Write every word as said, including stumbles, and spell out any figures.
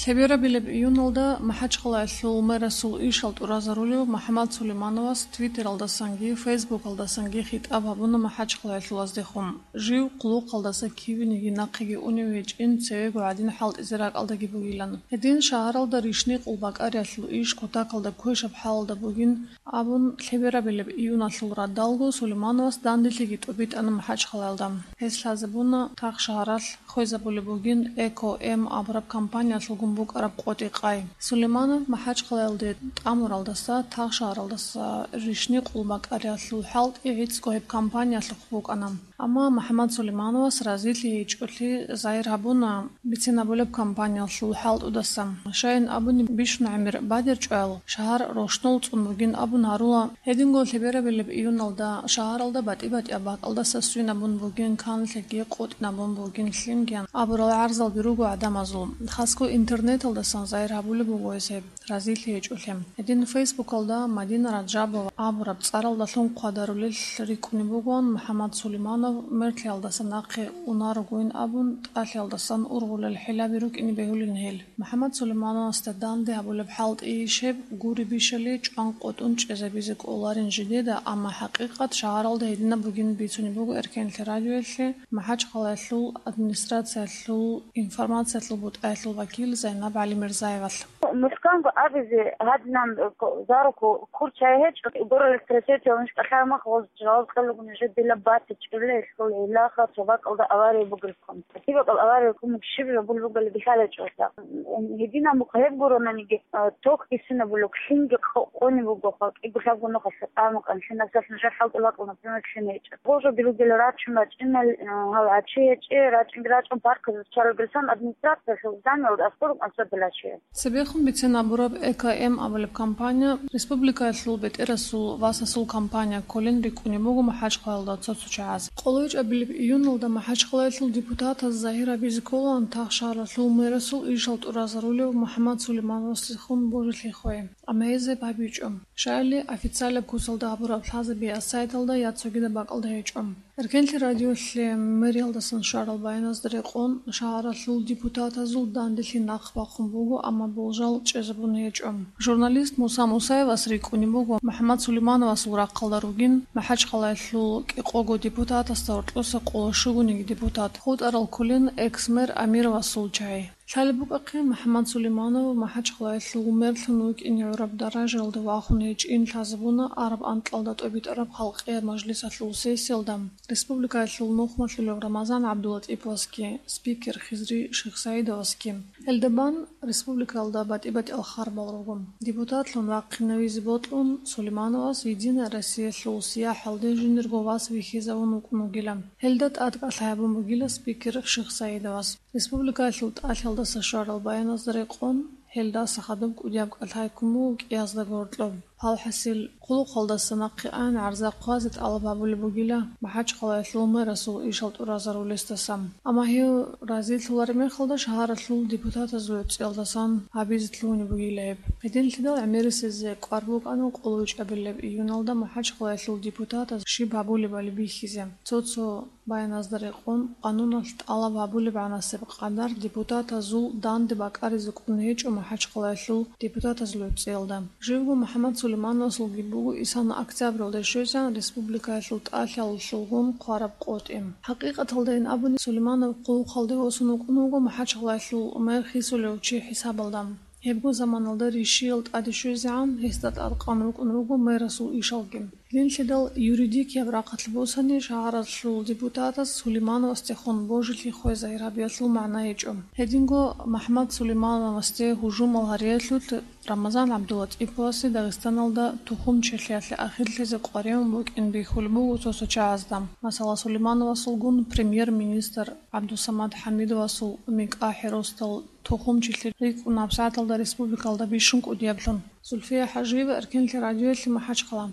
Лъеберабилеб июналда МахӀачхъалаялъул мэрасул ишал тӀуразарулев МухӀаммад Сулеймановас Твиттералдасанги Фейсбукалдасанги хитӀаб гьабуна МахӀачхъалаялъулаздехун. Жив хъулухъалдаса кивениги нахъеги унев гьечӀин, цевего гӀадин хӀалтӀизе ракӀалдаги бугилан. Гьедин шагьаралда ришни къулбакӀариялъул иш кутакалда квешаб хӀалалда бугин абун, лъеберабилеб июналъул радалго Сулеймановас данделъиги тӀубитӀана МахӀачхъалаялда. Гьес лъазабуна тахшагьаралъ хвезабулеб бугин Эко-М абураб компаниялъулгун букӀараб къотӀи-къай. Сулейманов МахӀачхъалаялде тӀамуралдаса, тахшагьаралдаса ришни къулбакӀариялъул хӀалтӀи гӀицӀго гьеб компаниялъухъ букӀана. Амма МухӀаммад Сулеймановас разилъи гьечӀолъи загьир гьабуна бицинабулеб компаниялъул хӀалтӀудаса. Щайин абуни, бищун гӀемер бадерчӀвал, шагьар рощтӀун цӀун бугин абун гьарула. Гьединго лъеберабилеб июналда шагьаралда батӀи-батӀияб бакӀалдаса свинабун бугин канлъиги къотӀинабун бугин лъимгиян абурал гӀарзалги руго гӀадамазул. Хасго интернеталдасан загьир гьабулеб буго гьес гьеб разилъи гьечӀолъи. Гьедин Фейсбукалда Мадина Раджабова абураб цӀаралдалъун хъвадарулел рикӀкӀунеб бугоан МухӀаммад Сулейманов мерлъиялдаса нахъе унарогойин абун, тӀалъиялдасан ургъулел хӀилаби рукӀине бегьулин гьел. МухӀаммад Сулеймановасда данде гьабулеб хӀалтӀи иш гьеб гури бищали чӀван къотӀун чӀезабизе кӀоларин жидеда, амма хӀакъикъат шагьаралда гьединаб бугин бицунеб буго Эркенлъи радиоялъе МахӀачхъалаялъул администрациялъул информациялъул бутӀаялъул вакил Зайнаб ГӀалимирзаевалъ. МухӀканго абизе гьадинан, э, ко-, зарухъ курчай гьечӀо, гуралъ тросетиялъ нушкӀалъай мах гъоз жаваб кьелаго нужер дила батичӀебли, гьелъул гьелаха цо бакӀалда авария бугелъул. Цо бакӀал авария кумек щиб жо бул бугали бихьалачӀо. Гьединаб мухъ гьеб гуронаниги, э, ток бисинабулеб, лъимги къо-, къони буго, кӀиго-лъабго нухалъ къамукъан, лъимасалъ нужер хӀалтӀулакъун, например, лъим гьечӀо. Гъожо билугел рачун рачӀинал, э, гьав гьачи гьечӀе, рачӀинги рачӀун паркалъуз чарулгелсан администрациялъул зданиял аскӀорун анцӀабилачи. Цебехун бицен абураб Эко-М абулеб компания республикаялъул бетӀерасул васасул компания кколин рикӀкӀунеб буго МахӀачхъалаялда цо-цо чагӀаз. КъолайчӀабилеб июналда МахӀачхъалаялъул депутатаз загьир гьабизе кколаан тахшагьаралъул мэрасул ишал тӀуразарулев МухӀаммад Сулеймановасдехун божилъи хвей, амма гьез гьеб гьабичӀо. Щайили официалаб кусалда гьабураб лъазабиялъ сайталда я цогидаб бакӀалда гьечӀо. Эркенлъи радиолъе мэриялдасан щварал баяназда рекъон, шагьаралъул депутатазул данделъи нахъ бахъун буго, амма болжал чӀезабун гьечӀо. Журналист Муса Мусаевас рикӀкӀунеб буго МухӀаммад Сулеймановасул рахъалда ругин, МахӀачхъалаялъул кӀикъого депутатасда гьоркьоса къоло щугониги депутат, хутӀарал кколин экс-мэр Амировасул чагӀи. Лъалеб букӀахъе, МухӀаммад Сулейманов МахӀачхъалаялъул мерлъун вукӀине гӀураб даражаялда вахун гьечӀин лъазабуна араб анкьалда тӀобитӀараб халкъияб мажлисалъул сессиялда республикаялъул нухмалъулев Рамазан ГӀабдулатӀиповасги, спикер Хизри Шихсаидовасги. Гьелда бан республикаялда батӀи-батӀиял харбал руго. Депутатлъун вахъинавизе бокьун, Сулеймановас Единая Россиялъул сияхӀалде жиндирго вас вихьизавун вукӀун вугила. Гьелда тӀад кӀалъай гьабун бугила спикер Шихсаидовас. Республикаялъул тӀалъиялдаса щварал баяназда рекъон, гьелдаса хадуб кӀудияб кӀалъай ккун буго кӀиязда гьоркьоб. Гьалхасил, хъулухъалдаса нахъе ан гӀарза хъвазе тӀалаб гьабулеб бугила МахӀачхъалаялъул мэрасул ишал тӀуразарулесдаса. Амма гьев разилъулареб мехалда шагьаралъул депутатазул гӀуцӀиялдасан гьабизе лъугьунеб бугила гьеб. Гьединлъидал гӀемерисезе кӀвар букӀана къоло вичӀабилеб июналда МахӀачхъалаялъул депутатаз щиб гьабулебали бихьизе. Цо-цо баяназда рекъон, къануналъ тӀалаб гьабулеб гӀанасеб къадар депутатазул данде бакӀаризе кӀун гьечӀо МахӀачхъалаялъул депутатазул гӀуцӀиялда. Живго МухӀаммад Сулеймановасулги буго исана октябралда щвезегӀан республикаялъул тӀалъиялалъулгун хъвараб къотӀи. ХӀакъикъаталдайин абуни, Сулейманов хъулухъалде восун вукӀун вуго МахӀачхъалаялъул мэр хисулев чи хӀисабалда. Гьебго заманалда ришиял тӀаде щвезегӀан гьесда тӀадкъан рукӀун руго мэрасул ишалги. Гьединлъидал юридикияб рахъалъ босани, шагьаралъул депутатас Сулеймановасдехун божилъи хвезай гьабиялъул магӀна гьечӀо. Гьединго МахӀмад Сулеймановасде гьужумал гьариялъулъ Рамазан ГӀабдулатӀиповасе Дагъистаналда тухумчилъиялъе ахирлъизе къваригӀун букӀин бихьулеб буго цо-цо чагӀазда. Масала, Сулеймановасулгун премьер-министр ГӀабдусамад ХӀамидовасул микӀа хӀеросдал тухумчилъи рикӀкӀунаб сагӀаталда республикалда бищун кӀудияблъун. Зульфия ХӀажиева, Эркенлъи радиоялъе, МахӀачхъала.